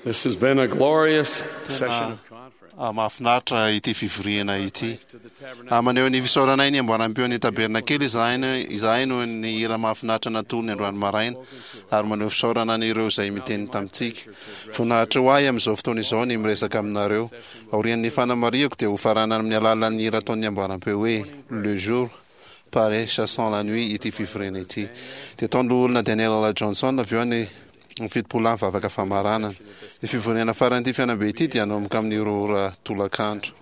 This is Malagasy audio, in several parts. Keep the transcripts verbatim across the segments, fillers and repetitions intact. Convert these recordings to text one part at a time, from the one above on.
This has been a glorious session of conference. Ah, mahafinaritra ity fivoriana ity. Ah, maneho ny fisaoranay ny amboaram-peo ny tabernakely izahay no- izahay noho ny hira mahafinaritra natolony androany maraina ary maneho fisaorana an'ireo izay miteny tamintsika. Voninahitra ho ahy amin'izao fotoana izao ny miresaka aminareo. Aorian'ny fanamarihako dia ho faranana amin'ny alalan'ny hira ataon'ny amboaram-peo hoe Le jour paraît chassant la nuit ity fivoriana ity. Dia ataon'ny loholona Daniel Johnson avy eo ny ny fitopolo lahy mivavaka famaranana. Ny fivoriana faran'ity fihaonambe ity dia hanomboka amin'ny roa ora tolakandro.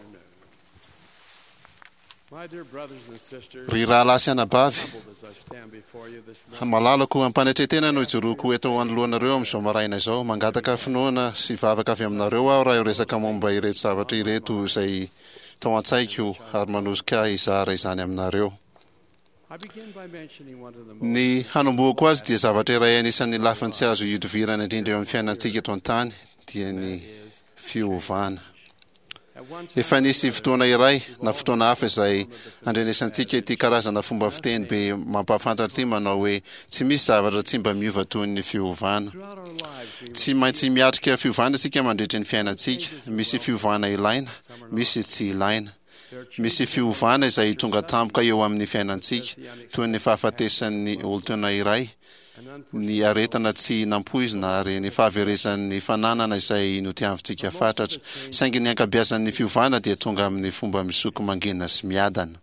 My dear brothers and sisters, Ry rahalahy sy anabavy, humbled as I stand before you this morning, malalako ampanetretena no ijoroako eto anoloanareo amin'izao maraina izao. Mangataka finoana sy vavaka avy aminareo aho raha hiresaka momba ireto zavatra ireto izay tao an-tsaiko ary manosika ahy hizara izany aminareo. I begin by mentioning one of the most Ny hanombohako azy dia zavatra iray anisan'ny lafiny tsy azo ihodivirana indrindra eo amin'ny fiainantsika eto an-tany dia ny fiovana. At one time Efa nisy fotoana iray na fotoana hafa izay andrenesantsika ity karazana fomba fiteny be mampahafantatra ity manao hoe tsy misy zavatra tsy mba miova toy ny fiovana. throughout our lives we Tsy maintsy miatrika fiovana isika mandritry ny fiainantsika. Misy fiovana ilaina, misy tsy ilaina. Misy fiovana izay tonga tampoka eo amin'ny fiainantsika, toy ny fahafatesan'ny olon-tiana iray, an ny aretina tsy nampoizina ary ny fahaverezan'ny fananana izay notiavintsika fatratra. Saingy ny ankabeazan'ny fiovana dia tonga amin'ny fomba misoko mangina sy miadana.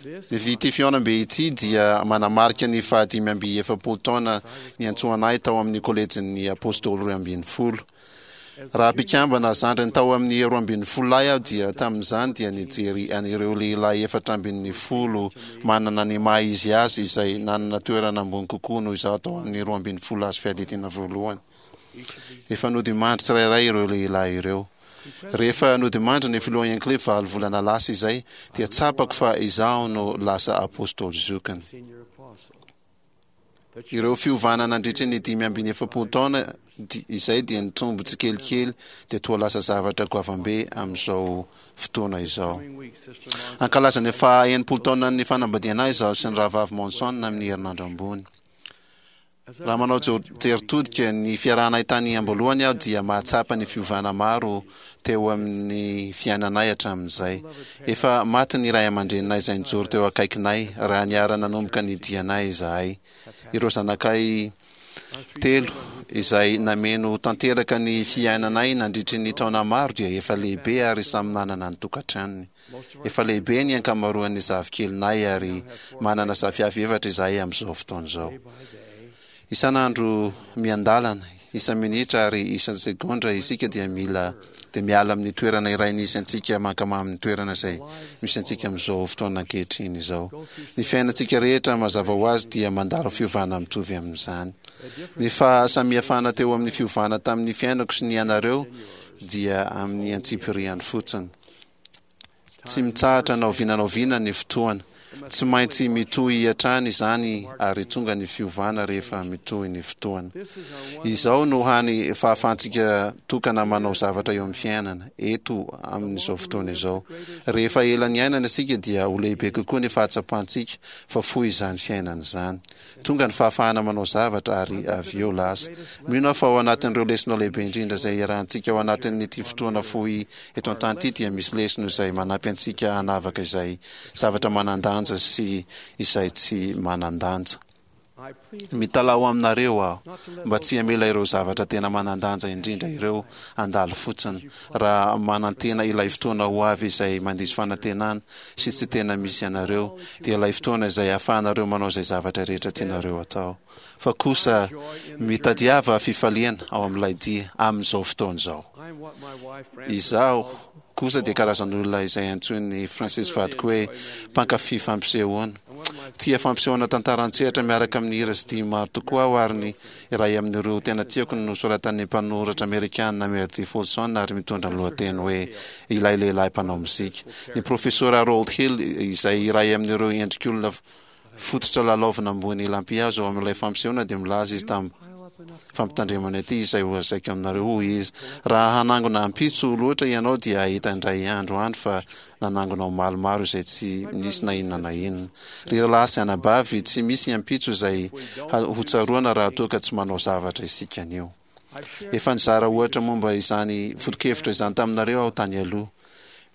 This Ny ity fihaonambe ity dia manamarika ny fahadimy amby efapolo taona niantsoana ahy tao amin'ny kolejin'ny apôstôly roa ambin'ny folo. Raha mpikambana zandriny tao amin'ny roa ambin'ny folo lahy aho dia tamin'izany dia nijery an'ireo lehilahy efatra ambin'ny folo manana ny maha izy azy izay nanana toerana ambony kokoa noho izaho tao amin'ny roa ambin'ny folo azo fiadidiana voalohany. Efa nodimandry tsirairay ireo lehilahy ireo. Rehefa nodimandry ny filoha Hinckley valo volana lasa izay dia tsapako fa izaho no lasa apôstôly zokiny. senior apostle. Ireo fiovana nandritry ny dimy ambin'ny efapolo taona di- izay dia nitombo tsikelikely dia toa lasa zavatra goavambe amin'izao fotoana izao. Coming week, Sister Monson Ankalaza ny faha enimpolo taonan'ny fanambadiana izaho sy ny rahavavy Monson amin'ny herinandro ambony. as I Raha manao jo- jery todika ny fiarahanay tany am-boalohany aho dia mahatsapa ny fiovana maro teo amin'ny fiainanay hatramin'izay. Efa maty ny ray aman-dreninay izay nijoro teo akaikinay raha niara nanomboka ny dianay izahay. Ireo zanakay telo izay nameno tanteraka ny fiainanay nandritry ny taona maro dia efa lehibe ary samy nanana ny tokantranony. Efa lehibe ny ankamaroan'ny zafikelinay ary manana zafiafy efatra izahay amin'izao fotoana izao. day by day, Isan'andro miandalana, isa-minitra ary isan-segondra isika dia mila dia miala amin'ny toerana iray nisy antsika mankany amin'ny toerana izay misy antsika amin'izao fotoana ankehitriny izao. Ny fiainantsika rehetra mazava ho azy dia mandalo fiovana mitovy amin'izany. Ny fahasamihafana teo amin'ny fiovana tamin'ny fiainako sy ny anareo dia amin'ny antsipiriany fotsiny. Tsy mitsahatra na oviana na oviana ny fotoana. Tsy maintsy mitohy hatrany izany ary tonga ny fiovana rehefa mitohy ny fotoana. this is our one Izao no hany fahafahantsika tokana manao zavatra eo amin'ny fiainana eto amin'izao fotoana izao. Rehefa ela niainana isika dia ho lehibe kokoa ny fahatsapantsika fa fohy izany fiainana izany. Tonga ny fahafahana manao zavatra ary avy eo lasa. Mino aho fa ao anatin'ireo lesona lehibe indrindra izay iarahantsika ao anatin'ity fotoana fohy eto an-tany ity dia misy lesona izay manampy antsika hanavaka izay zavatra manan-danja sy izay tsy manan-danja. I plead Mitalaho aminareo aho mba tsy hamela ireo zavatra tena manan-danja indrindra ireo handalo fotsiny raha manantena ilay fotoana ho avy izay mandiso fanantenana sy tsy tena misy anareo dia ilay fotoana izay ahafahanareo manao izay zavatra rehetra tianareo atao. Fa kosa mitadiava fifaliana ao amin'ilay dia amin'izao fotoana izao. I am what my wife Frances Izaho calls kosa dia karazan'olona izay antsoin'ny Francis vadiko hoe mpankafy fampisehoana. and one of my Tia fampisehoana tantara an-tsehatra miaraka amin'ny hira sy dihy maro tokoa aho ary ny iray amin'ireo tena tiako no nosoratan'ny mpanoratra amerikanina Meredith Willson ary mitondra ny lohateny hoe ilay lehilahy mpanao mozika. Ny profesora Harold Hill izay iray amin'ireo endrik'olona fototra lalaovina ambony lampihazo ao amin'ilay fampisehoana dia milaza izy tamin'ny pile up enough fampitandremana ity izay ho lazaiko aminareo hoy izy raha hanangona ampitso loatra ianao dia hahita indray andro any fa nanangona omaly maro izay tsy nisy na inona na inona. Ry rahalahy sy anabavy, tsy misy ampitso izay ha- ho tsaroana raha toa ka tsy manao zavatra isika anio. Efa nizara ohatra momba izany foto-kevitra izany taminareo aho tany aloha.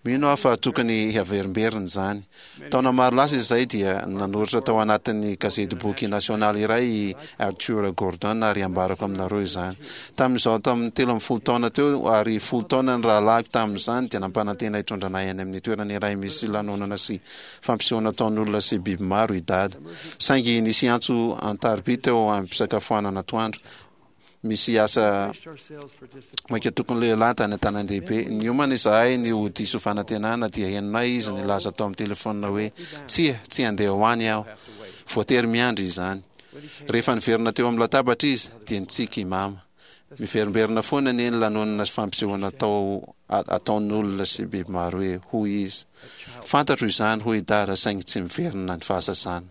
Mino aho fa tokony haverimberina izany. Taona maro lasa izay dia nanoratra tao anatin'ny gazetiboky nasionaly iray i Arthur Gordon ary ambarako aminareo izany. Tamin'izaho tamin'ny telo ambin'ny folo taona teo ary folo taona ny rahalahiko tamin'izany dia nampanantena hitondra anay any amin'ny toerana iray misy lanonana sy fampisehoana ataon'olona sy biby maro i Dada. Saingy nisy antso an-tariby teo am-pisakafoanana atoandro. Misy asa maika tokony lehilahy tany an-tanàn-dehibe. Niomana izahay ny ho diso fanantenana dia henonay izy nilaza tao amin'ny telefaonina hoe tsia, tsy handeha ho any aho. Voatery miandry izany. Rehefa niverina teo amin'ny latabatra izy dia nitsiky i Mama. Miverimberina foana anie ny lanonana sy fampisehoana atao ataon'olona sy biby maro hoe, hoy izy. Fantatro izany, hoy i Dada, saingy tsy miverina ny fahazazana.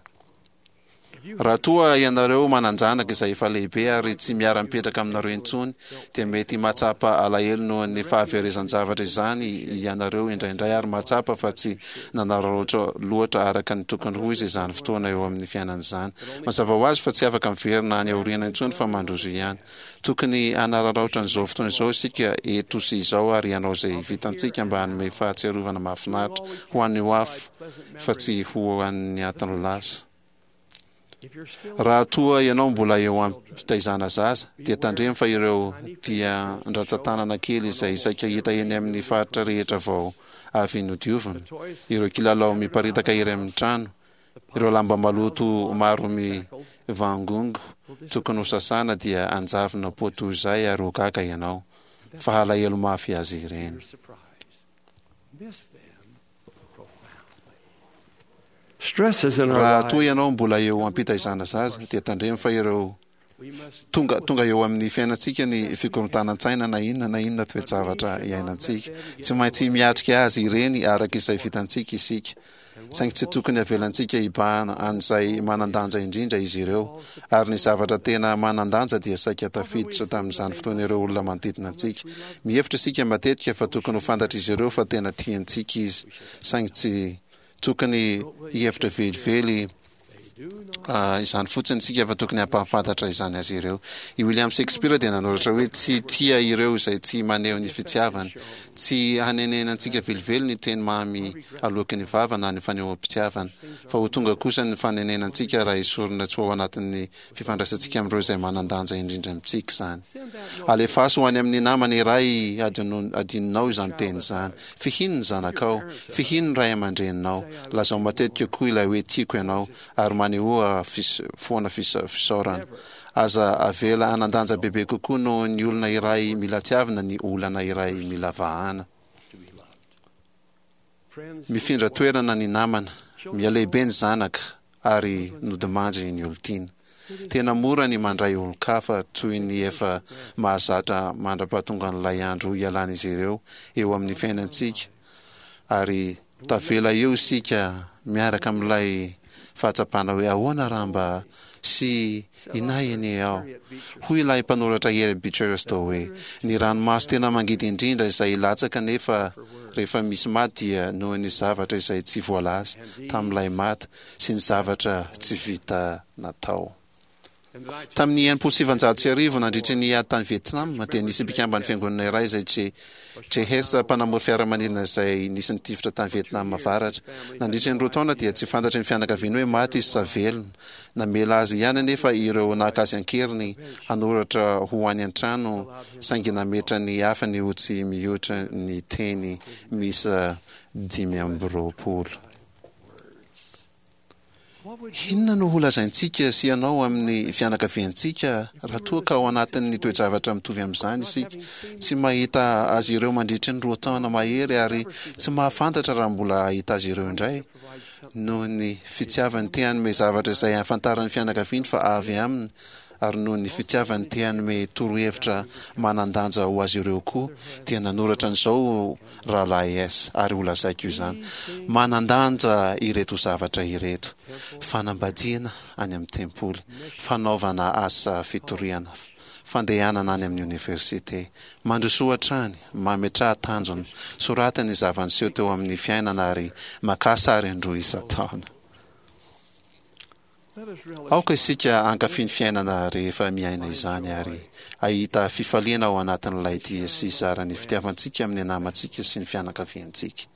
Raha toa ianareo manan-janaka izay efa lehibe ary tsy miara-mipetraka aminareo intsony, dia mety mahatsapa alahelo noho ny fahaverezan-javatra izany ianareo indraindray ary mahatsapa fa tsy nanararaotra loatra araka ny tokony ho izy izany fotoana eo amin'ny fiainana izany. Mazava ho azy fa tsy afaka miverina any aoriana intsony fa mandroso ihany. Tokony hanararaotra an'izao fotoana izao isika eto sy izao ary hanao izay vitantsika mba hanome fahatsiarovana mahafinaritra ho an'ny ho avy fa tsy ho an'ny atin'ny lasa. Raha toa ianao mbola eo am-pitaizana zaza, dia tandremo fa ireo dian-dratsan-tanana kely izay saika hita eny amin'ny faritra rehetra vao avy nodiovina, ireo kilalao miparitaka ery amin'ny trano, ireo lamba maloto maro mivangongo tokony ho sasana dia hanjavona poa toy izay ary ho gaga ianao fa halahelo mafy azy ireny. Raha toa ianao mbola eo am-pitaizana zaza, dia tandremo fa ireo tonga tonga eo amin'ny fiainantsika ny fikorontanan-tsaina na inona na inona toe-javatra iainantsika. Tsy maintsy miatrika azy ireny araka izay vitantsika isika. Saingy tsy tokony havelantsika hibahana an'izay manan-danja indrindra izy ireo. Ary ny zavatra tena manan-danja dia saika tafiditra tamin'izany fotoana ireo olona manodidina antsika. Mihevitra isika matetika fa tokony ho fantatr'izy ireo fa tena tiantsika izy. Saingy tsy tokony hihevitra velively izany fotsiny isika fa tokony hampahafantatra izany azy ireo. I William Shakespeare dia nanoratra hoe tsy tia ireo izay tsy maneho ny fitiavany. Tsy hanenenantsika velively ny teny mamy aloaky ny vava na ny fanehoam-pitiavana, fa ho tonga kosa ny fanenenantsika raha esorina tsy ho ao anatin'ny fifandraisantsika amin'ireo izay manan-danja indrindra amintsika izany. Alefaso ho any amin'ny namana iray adinonao izany teny izany. Fihino ny zanakao. Fihino ny ray aman-dreninao. Lazao matetika koa ilay hoe tiako ianao, ary manehoa foana fisaorana. Aza avela hanan-danja bebe kokoa noho ny olona iray mila tiavina ny olana iray mila vahana. Mifindra toerana ny namana, mihalehibe ny zanaka, ary nodimandry ny olon-tiana. Tena mora ny mandray olon-kafa toy ny efa mahazatra mandra-pahatongan'ilay andro hialan'izy ireo eo amin'ny fiainantsika, ary tavela eo isika miaraka amin'ilay fahatsapana hoe ahoana raha mba sy inay anie aho. Hoy ilay mpanoratra Harry Beecher Stowe hoe, Ny ranomaso tena mangidy indrindra izay latsaka nefa rehefa misy maty dia noho ny zavatra izay tsy voalaza tamin'ilay maty sy ny zavatra tsy vita natao. Tamin'ny enimpolo sy sivanjato sy arivo, nandritry ny ady tany Vietnam, dia nisy mpikamban'ny fiangonana iray izay J. J. Hess, mpanamory fiaramanidina izay nisy nitifitra tany Vietnam Avaratra. Nandritry ny roa taona dia tsy fantatry ny fianakaviany hoe maty izy sa velona. Namela azy ihany anefa ireo naka azy an-keriny hanoratra ho any an-trano saingy nametra ny hafany ho tsy mihoatra ny teny miisa dimy amby roapolo. Inona no holazaintsika sy ianao amin'ny fianakaviantsika raha toa ka ao anatin'ny toe-javatra mitovy amin'izany isika, tsy mahita azy ireo mandritry ny roa taona mahery ary tsy mahafantatra raha mbola hahita azy ireo indray? Noho ny fitiavany te hanome zavatra izay ahafantaran'ny fianakaviany fa avy aminy ary noho ny fitiavany te hanome torohevitra manan-danja ho azy ireo koa, dia nanoratra an'izao Rahalahy S, ary holazaiko izany. Manan-danja ireto zavatra ireto, fanambadiana any amin'ny tempoly, fanaovana asa fitoriana, fandehanana any amin'ny oniversite. Mandrosoa hatrany, mametraha tanjona, soraty ny zava-niseho teo amin'ny fiainana ary makà sary indroa isan-taona. Aoka isika hankafy ny fiainana rehefa miaina izany ary hahita fifaliana ao anatin'ilay dia sy hizara ny fitiavantsika amin'ny namantsika sy ny fianakaviantsika.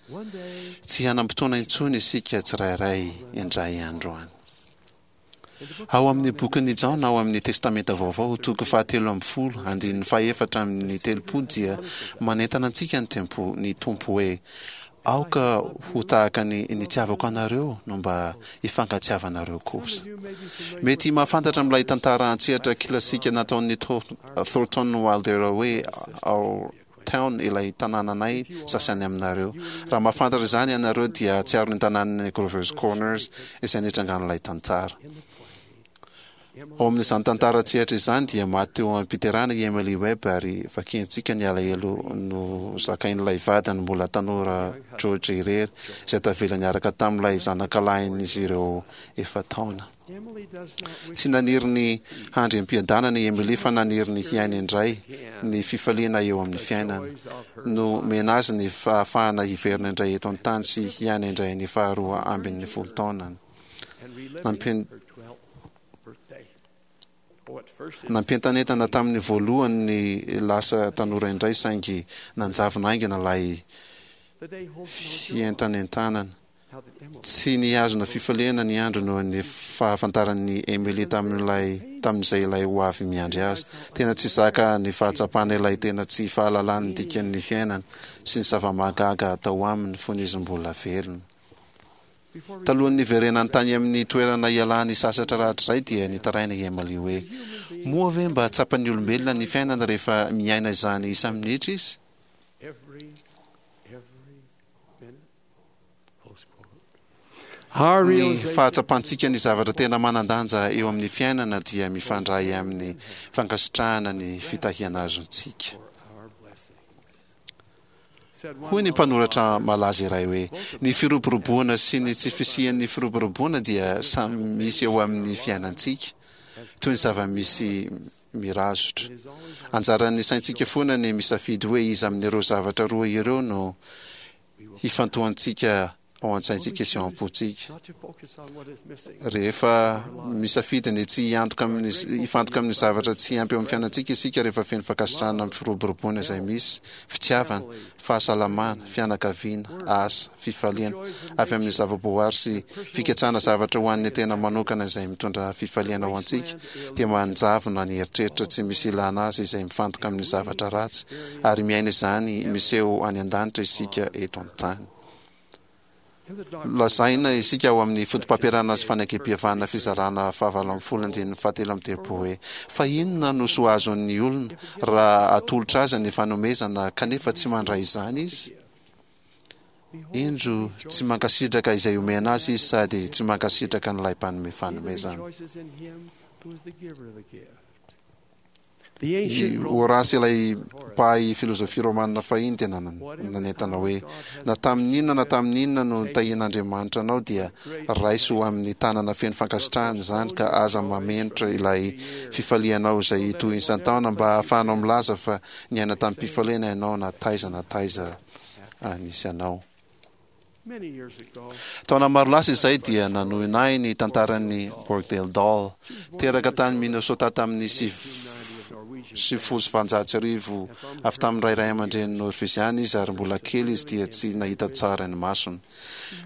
Tsy hanam-potoana intsony isika tsirairay indray andro any. Ao amin'ny bokin'i Jaona ao amin'ny Testamenta Vaovao, toko fahatelo ambin'ny folo, andininy fahefatra amin'ny telopolo dia manentana antsika ny tempo ny Tompo hoe, Aoka ho tahaka ny nitiavako anareo no mba hifankatiavanareo kosa. Mety mahafantatra amin'ilay tantara an-tsehatra kilasika nataon'i Thornton Wilder hoe Our Town ilay tanànanay sasany aminareo. Raha mahafantatra izany ianareo dia hahatsiaro ny tanànan'i Grover's Corners izay nitrangan'ilay tantara. Ao amin'izany tantara an-tsehatra izany dia maty teo am-piterahana i Emily Webb ary vakiantsika ny alahelo nozakain'ilay vadiny mbola tanora George irery izay tavela niaraka tamin'ilay zanakalahin'izy ireo efa-taona. Tsy naniry ny handry am-piadanana i Emily fa naniry ny hiaina indray ny fifaliana eo amin'ny fiainana. Nomena azy ny fahafahana hiverina indray eto an-tany sy hiaina indray ny faharoa ambin'ny folo taonany. Nampientanentana tamin'ny voalohany ny lasa tanora indray saingy nanjavona haingana ilay fientanentanana. Tsy nihazona fifaliana ny andro noho ny fahafantaran'i Emily tamin'ilay tamin'izay ilay ho avy miandry azy. Tena tsy zaka ny fahatsapana ilay tena tsy fahalalany ny dikan'ny fiainana sy ny zava-mahagaga atao aminy fony izy mbola velona. Talohan'ny niverenany tany amin'ny toerana ialany sasatra rahatrizay dia nitaraina i Emily hoe, Moa ve mba tsapan'ny olombelona ny fiainana rehefa miaina izany isa-minitra izy? Ny fahatsapantsika ny zavatra tena manan-danja eo amin'ny fiainana dia mifandray amin'ny fankasitrahana ny fitahiana azontsika. Hoy ny mpanoratra malaza iray hoe, Ny firoboroboana sy ny tsy fisian'ny firoboroboana dia samy misy eo amin'ny fiainantsika, toy ny zava-misy mirazotra. Anjaran'ny saintsika foana ny misafidy hoe iza amin'ireo zavatra roa ireo no hifantohantsika ao an-tsaintsika sy ao am-pontsika. Rehefa misafidy ny tsy hiantoka amin'ny hifantoka amin'ny zavatra tsy ampy eo amin'ny fiainantsika isika rehefa feno fankasitrahana amin'ny firoboroboana izay misy, fitiavana, fahasalamana, fianakaviana, asa, fifaliana avy amin'ny zava-boary sy fikatsahana zavatra ho an'ny tena manokana izay mitondra fifaliana ho antsika dia manjavona ny eritreritra tsy misy ilana azy izay mifantoka amin'ny zavatra ratsy ary miaina izany miseho any an-danitra isika eto an-tany. Lazaina isika ao amin'ny Fotopampianarana sy Fanekempihavanana fizarana fahavalo ambin'ny folo andininy fahatelo amby telopolo hoe, Fa inona no soa azon'ny olona raha atolotra azy ny fanomezana kanefa tsy mandray izany izy? Indro, tsy mankasitraka izay omena azy izy sady tsy mankasitraka an'ilay mpanome fanomezana. I Horace ilay mpahay filozofia romana fahiny dia nanentana hoe, Na tamin'ny inona na tamin'ny inona no nitahian'Andriamanitra anao dia raiso ho amin'ny tanana feno fankasitrahana izany ka aza mamenotra ilay fifalianao izay hitohy isan-taona mba hahafahanao milaza fa niaina tamim-pifaliana ianao na taiza na taiza nisy anao. Taona maro lasa izay dia nanohina ahy ny tantaran'i Borgdale Dahl. Teraka tany Minnesota tamin'ny sivifolo sy valonjato sy arivo avy tamin'ny ray ray aman-dreny Norveziana izy ary mbola kely izy dia tsy nahita tsara ny masony.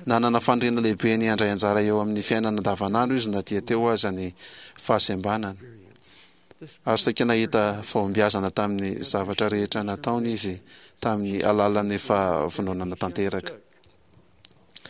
Nanana faniriana lehibe ny handray anjara eo amin'ny fiainana andavanandro izy na dia teo aza ny fahasembanany. Ary saika nahita fahombiazana tamin'ny zavatra rehetra nataony izy tamin'ny alalan'ny fahavononana tanteraka.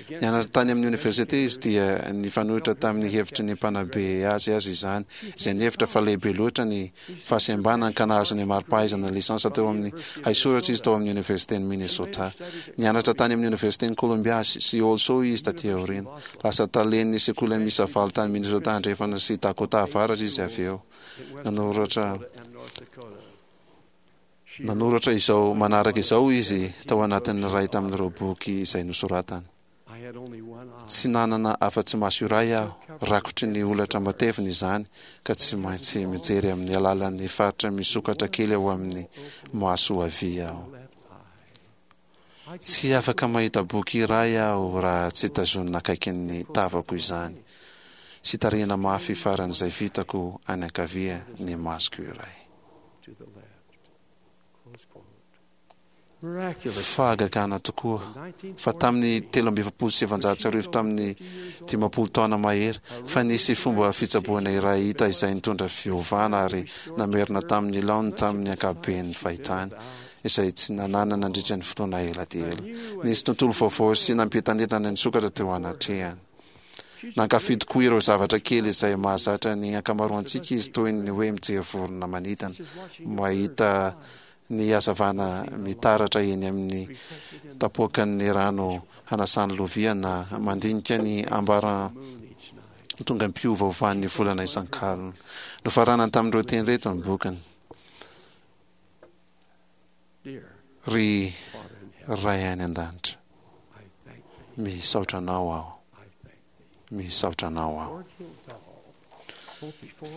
Nianatra tany amin'ny oniversite izy dia nifanohitra tamin'ny hevitry ny mpanabe azy aza izany, izay nihevitra fa lehibe loatra ny fahasembanany ka nahazo ny mari-pahaizana lisansa teo amin'ny haisoratra izy tao amin'ny Oniversiten'i Minnesota. Nianatra tany amin'ny Oniversiten'i Columbia sy Also izy taty aoriana. Lasa talen'ny sekoly miisa valo tany Minnesota Andrefana sy Dakota Avaratra izy avy eo. Nanoratra Nanoratra izao manaraka izao izy tao anatin'ny iray tamin'ireo boky izay nosoratany, Tsy nanana afa-tsy maso iray aho, rakotry ny holatra matevina izany, ka tsy maintsy mijery amin'ny alalan'ny faritra misokatra kely ao amin'ny maso havia aho. Tsy afaka mahita boky iray aho raha tsy tazonina akaikin'ny tavako izany. sy tarihina mafy faran'izay vitako any ankavia ny masoko iray. Fahagagana tokoa fa tamin'ny telo amby efapolo sy sivanjato sy arivo, tamin'ny dimampolo taona mahery, fa nisy fomba fitsaboana iray hita izay nitondra fiovana ary namerina tamin'ny laoniny tamin'ny ankapobeny ny fahitany izay tsy nanana nandritra ny fotoana ela dia ela. Nisy tontolo vaovao sy nampientanentana nisokatra teo anatrehany. Nankafy tokoa ireo zavatra kely izay mahazatra ny ankamaroantsika izy, toy ny hoe mijery vorona manidina, mahita ny hazavana mitaratra eny amin'ny tapoakan'ny rano hanasany lovia, na mandinika ny ambaratongam-piovaovan'ny volana isan-kalina. Nofaranany tamin'ireo teny ireto ny bokiny: Ry Ray any an-danitra, misaotra Anao aho, misaotra Anao aho.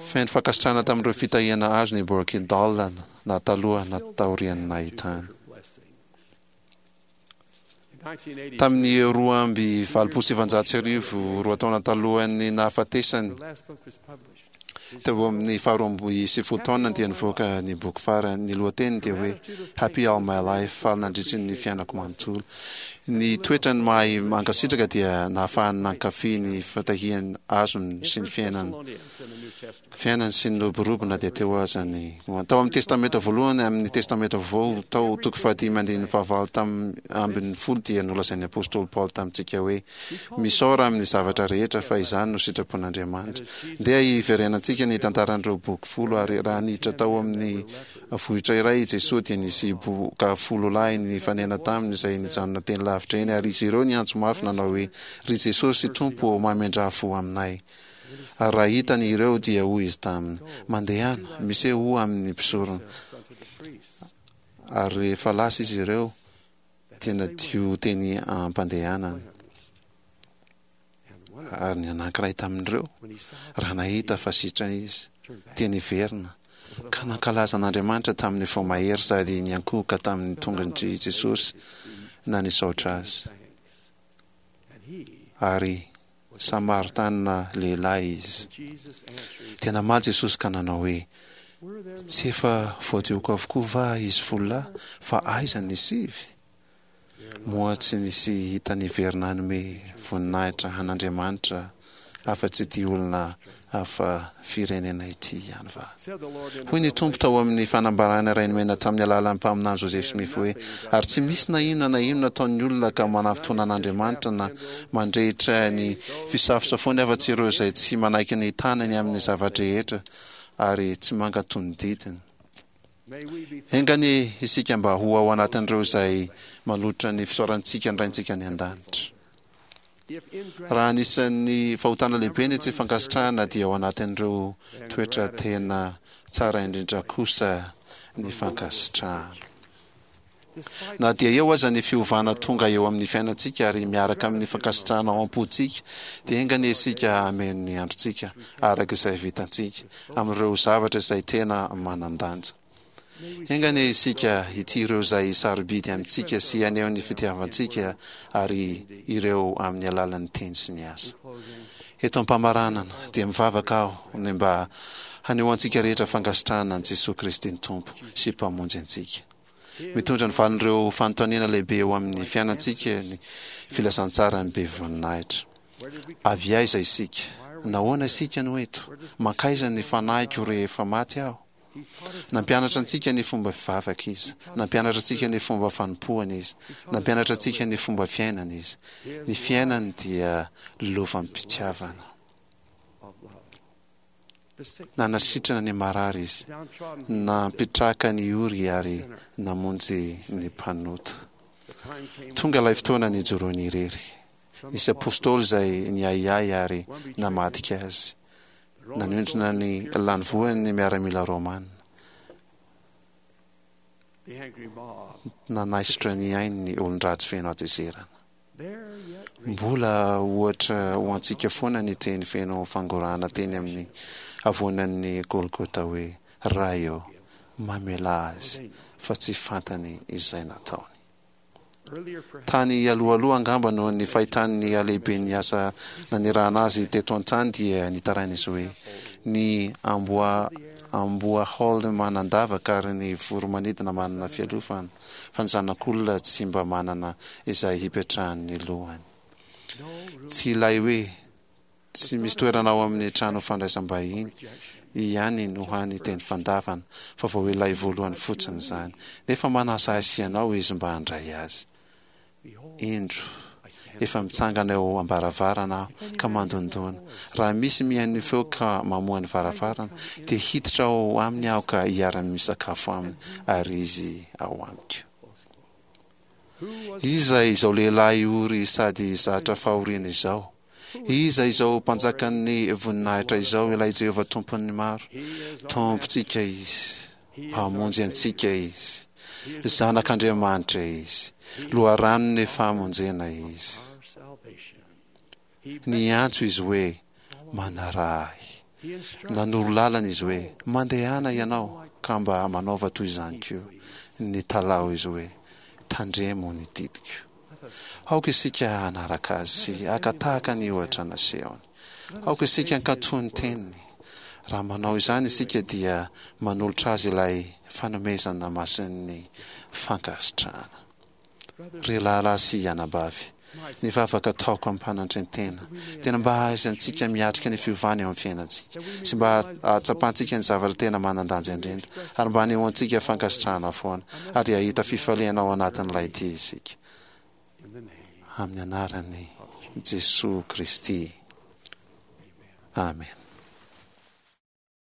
Feno fankasitrahana tamin'ireo fitahiana azony i Borky Dahl na taloha na taorian'ny nahitany. Tamin'ny roa amby valopolo sy sivanjato sy arivo, roa taona talohan'ny nahafatesany, teo amin'ny faharoa amby sivifolo taona, dia nivoaka ny boky farany. Ny lohateniny dia hoe Happy All My Life, Faly Nandritry ny Fiainako Manontolo. Ny toetrany mahay mankasitraka dia nahafahany nankafy ny fitahiana azony sy ny fiainany fiainany sy ny roborobo na dia teo aza ny tao amin'ny Testamenta Voalohany. Amin'ny Testamenta Vaovao, tao toko fahadimy andininy fahavalo tam ambin'ny folo, dia nolazain'ny apostoly Paoly tamintsika hoe: Misaora amin'ny zavatra rehetra, fa izany no sitrapon'Andriamanitra. Ndeha hiverenantsika ny tantaran'ireo boky folo. Ary raha niditra tao amin'ny vohitra iray i Jesoa, dia nisy boka folo lahy nifanena taminy izay nijanona teny lavitra eny, ary izy ireo niantso mafy nanao hoe: Ry Jesosy Tompo ô, mamindrà fo aminay. Ary raha hitany ireo, dia hoy izy taminy: Mandehana, misehoa amin'ny mpisorona. Ary rehefa lasa izy ireo, dia nadio teny am-pandehanana. Ary ny anankiray tamin'ireo, raha nahita fa sitrana izy, dia niverina, ka nankalaza an'Andriamanitra tamin'ny fo mahery sady niankohoka tamin'ny tongotr'i Jesosy na nisaotra azy. Ary Samaritanina lehilahy izy. Dia namaly Jesosy ka nanao hoe: Tsy efa voadioko avokoa va izy folo lahy, fa aiza ny sivy? Moa tsy nisy hita niverina hanome voninahitra an'Andriamanitra afa-tsy ity olona hafa firenena ity ihany va? Hoy ny Tompo tao amin'ny fanambarana iray nomena tamin'ny alalan'ny mpaminany Joseph Smith hoe: Ary tsy misy na inona na inona ataon'ny olona ka manafintohina an'Andriamanitra na mandrehitra ny fisafosafoany afa-tsy ireo izay tsy manaiky ny tanany amin'ny zava-drehetra ary tsy mankatò ny didiny. Enga anie isika mba ho ao anatin'ireo izay manolotra ny fisaorantsika ny Raintsika any An-danitra. Raha anisan'ny fahotana lehibe ny tsy fankasitrahana, dia ao anatin'ireo toetra tena tsara indrindra kosa ny fankasitrahana. Na dia eo aza ny fiovana tonga eo amin'ny fiainantsika ary miaraka amin'ny fankasitrahana ao am-pontsika, dia enga anie isika hameno ny androntsika araka izay vitantsika amin'ireo zavatra izay tena manan-danja. Enga anie isika hitia ireo izay sarobidy amintsika sy haneho ny fitiavantsika ary ireo amin'ny alalan'ny teny sy ny asa. Eto am-pamaranana, dia mivavaka aho ny mba hanehoantsika rehetra fankasitrahana an'i Jesoa Kristy ny Tompo sy Mpamonjy antsika. Mitondra ny valin'ireo fanontaniana lehibe eo amin'ny fiainantsika ny filazantsaran'ny be voninahitra. Avy aiza isika? Nahoana isika no eto? Mankaiza ny fanahiko rehefa maty aho? Nampianatra antsika ny fomba fivavaka Izy. Nampianatra antsika ny fomba fanompoana Izy. Nampianatra antsika ny fomba fiainana Izy. Ny fiainany dia lovam-pitiavana. Nanasitrana ny marary Izy, nampitraka ny ory ary namonjy ny mpanota. Tonga ilay fotoana nijoroany irery. Nisy apostoly izay niahiahy ary namadika Azy. Nanindrona ny lanivohiny ny miaramila romana. Nanaisotra ny ainy ny olon-dratsy feno hatezerana. Mbola ohatra ho antsika foana ny teny feno fangorahana teny amin'ny havoanan'ny Golgota hoe, Ray ô, mamelà azy, fa tsy fantany izay nataony. Tany alohaloha angamba noho ny fahitany ny halehiben'ny asa nanirahana azy teto an-tany dia nitaraina izy hoe, Ny amboa amboahaolo manan-davaka ary ny voro-manidina manana fialofana, fa ny Zanak'olona tsy mba manana izay hipetrahan'ny lohany. Tsy ilay hoe tsy misy toerana ao amin'ny trano fandraisam-bahiny ihany no hany teny fandavana, fa vao ilay voalohany fotsiny izany. Nefa manasa ahy sy ianao izy mba handray azy. Indro, efa mitsangana eo am-baravarana aho ka mandondòna. Raha misy mihaino ny feoko ka mamoha ny varavarana, dia hiditra ao aminy aho ka hiara-misakafo aminy, ary izy ao amiko. Iza izao lehilahy ory sady zatra fahoriana izao? Iza izao Mpanjakan'ny voninahitra izao, ilay Jehovah Tompon'ny maro? Tompontsika izy. Mpamonjy antsika Izy. Zanak'Andriamanitra Izy. Loharanon'ny famonjena Izy. Niantso Izy hoe, Manaraha Ahy. Nanoro lalana Izy hoe, Mandehana ianao ka mba manaova toy izany koa. Nitalaho Izy hoe, Tandremo ny didiko. Aoka isika hanaraka Azy sy haka tahaka ny ohatra nasehony. Aoka isika hankatò ny Teniny. Raha manao izany isika dia manolotra Azy ilay fanomezana masin'ny fankasitrahana. Ry rahalahy sy anabavy, ny vavaka ataoko amim-panantren-tena dia ny mba hahaizantsika miatrika ny fiovana eo amin'ny fiainantsika sy mba hahatsapantsika ny zavatra tena manan-danja indrindra ary mba hanehoantsika fankasitrahana foana ary hahita fifaliana ao anatin'ilay dia isika. Amin'ny anaran'i Jesoa Kristy. Amena.